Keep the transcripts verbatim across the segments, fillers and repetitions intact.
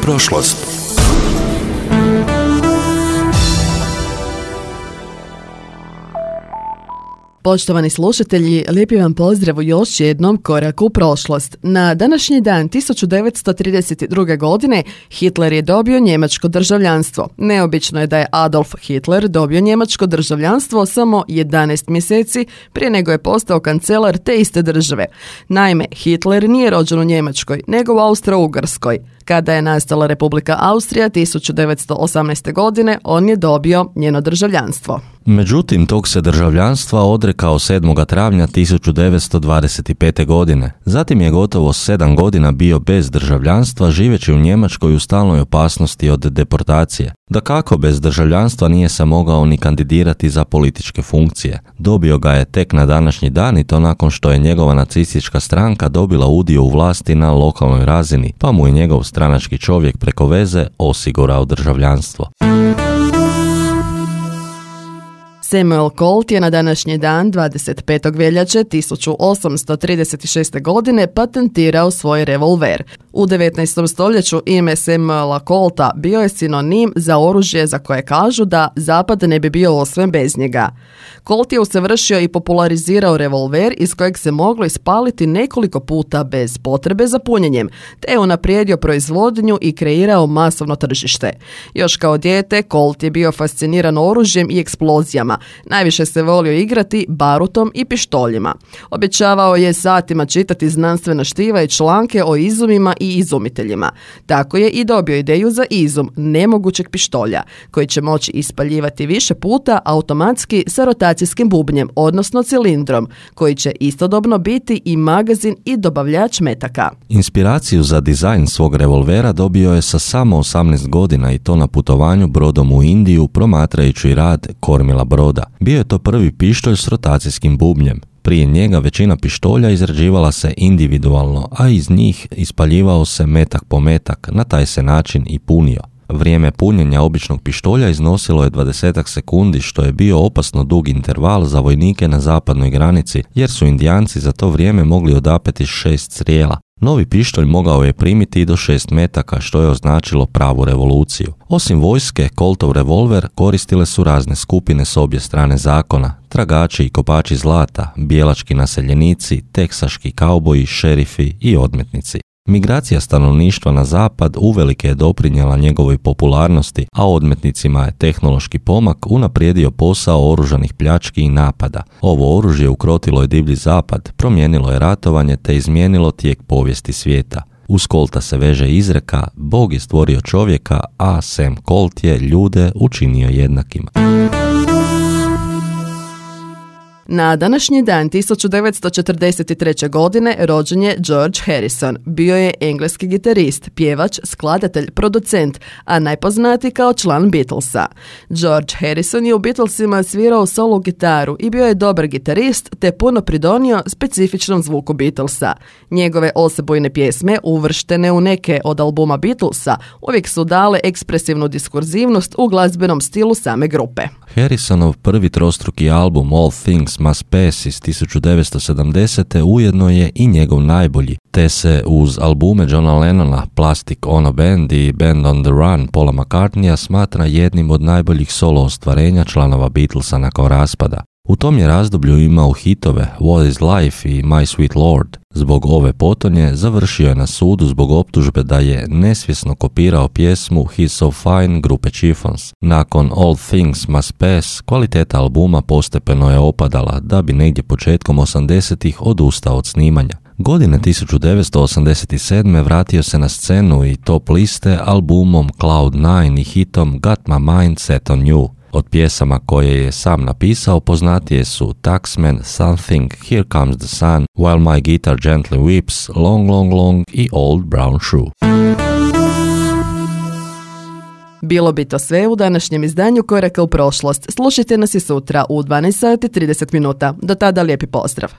prošlost. Poštovani slušatelji, lijepi vam pozdrav u još jednom koraku u prošlost. Na današnji dan tisuću devetsto trideset druge. godine Hitler je dobio njemačko državljanstvo. Neobično je da je Adolf Hitler dobio njemačko državljanstvo samo jedanaest mjeseci prije nego je postao kancelar te iste države. Naime, Hitler nije rođen u Njemačkoj, nego u Austro-Ugarskoj. Kada je nastala Republika Austrija tisuću devetsto osamnaeste. godine, on je dobio njeno državljanstvo. Međutim, tog se državljanstva odrekao sedmog travnja tisuću devetsto dvadeset pete. godine. Zatim je gotovo sedam godina bio bez državljanstva, živeći u Njemačkoj u stalnoj opasnosti od deportacije. Dakako, bez državljanstva nije se mogao ni kandidirati za političke funkcije. Dobio ga je tek na današnji dan i to nakon što je njegova nacistička stranka dobila udio u vlasti na lokalnoj razini, pa mu je njegov stranački čovjek preko veze osigurao državljanstvo. Samuel Colt je na današnji dan dvadeset petog veljače tisuću osamsto trideset šeste. godine patentirao svoj revolver. U devetnaestom stoljeću ime Samuela Colta bio je sinonim za oružje za koje kažu da Zapad ne bi bio osvojen bez njega. Colt je usavršio i popularizirao revolver iz kojeg se moglo ispaliti nekoliko puta bez potrebe za punjenjem, te je unaprijedio proizvodnju i kreirao masovno tržište. Još kao dijete Colt je bio fasciniran oružjem i eksplozijama. Najviše se volio igrati barutom i pištoljima. Obećavao je satima čitati znanstvena štiva i članke o izumima i izumiteljima. Tako je i dobio ideju za izum nemogućeg pištolja, koji će moći ispaljivati više puta automatski sa rotacijskim bubnjem, odnosno cilindrom, koji će istodobno biti i magazin i dobavljač metaka. Inspiraciju za dizajn svog revolvera dobio je sa samo osamnaest godina i to na putovanju brodom u Indiju promatrajući rad kormila broda. Bio je to prvi pištolj s rotacijskim bubnjem. Prije njega većina pištolja izrađivala se individualno, a iz njih ispaljivao se metak po metak, na taj se način i punio. Vrijeme punjenja običnog pištolja iznosilo je dvadeset sekundi, što je bio opasno dug interval za vojnike na zapadnoj granici, jer su Indijanci za to vrijeme mogli odapeti šest strijela. Novi pištolj mogao je primiti i do šest metaka, što je označilo pravu revoluciju. Osim vojske, Coltov revolver koristile su razne skupine s obje strane zakona, tragači i kopači zlata, bijelački naseljenici, teksaški kauboji, šerifi i odmetnici. Migracija stanovništva na zapad uvelike je doprinijela njegovoj popularnosti, a odmetnicima je tehnološki pomak unaprijedio posao oružanih pljački i napada. Ovo oružje ukrotilo je divlji zapad, promijenilo je ratovanje te izmijenilo tijek povijesti svijeta. Uz Colta se veže izreka: Bog je stvorio čovjeka, a Sam Colt je ljude učinio jednakima. Na današnji dan tisuću devetsto četrdeset treće. godine rođen je George Harrison. Bio je engleski gitarist, pjevač, skladatelj, producent, a najpoznatiji kao član Beatlesa. George Harrison je u Beatlesima svirao solo gitaru i bio je dobar gitarist te puno pridonio specifičnom zvuku Beatlesa. Njegove osebujne pjesme, uvrštene u neke od albuma Beatlesa, uvijek su dale ekspresivnu diskurzivnost u glazbenom stilu same grupe. Harrisonov prvi trostruki album All Things Must Pass iz tisuću devetsto sedamdesete. ujedno je i njegov najbolji, te se uz albume Johna Lennona, Plastic Ono Band i Band on the Run Paula McCartneya smatra jednim od najboljih solo ostvarenja članova Beatlesa nakon raspada. U tom je razdoblju imao hitove What is Life i My Sweet Lord. Zbog ove potonje završio je na sudu zbog optužbe da je nesvjesno kopirao pjesmu He's So Fine grupe Chiffons. Nakon All Things Must Pass, kvaliteta albuma postepeno je opadala, da bi negdje početkom osamdesetih odustao od snimanja. Godine tisuću devetsto osamdeset sedme. vratio se na scenu i top liste albumom Cloud Nine i hitom Got My Mind Set On You. Od pjesama koje je sam napisao poznatije su Taxman, Something, Here Comes the Sun, While My Guitar Gently Weeps, Long Long Long i Old Brown Shoe. Bilo bi to sve u današnjem izdanju Koraka u prošlost. Slušajte nas i sutra u dvanaest sati i trideset minuta. Do tada lijepi pozdrav.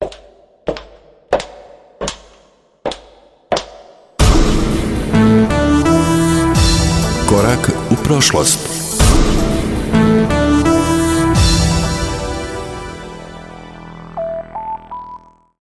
Korak u prošlost.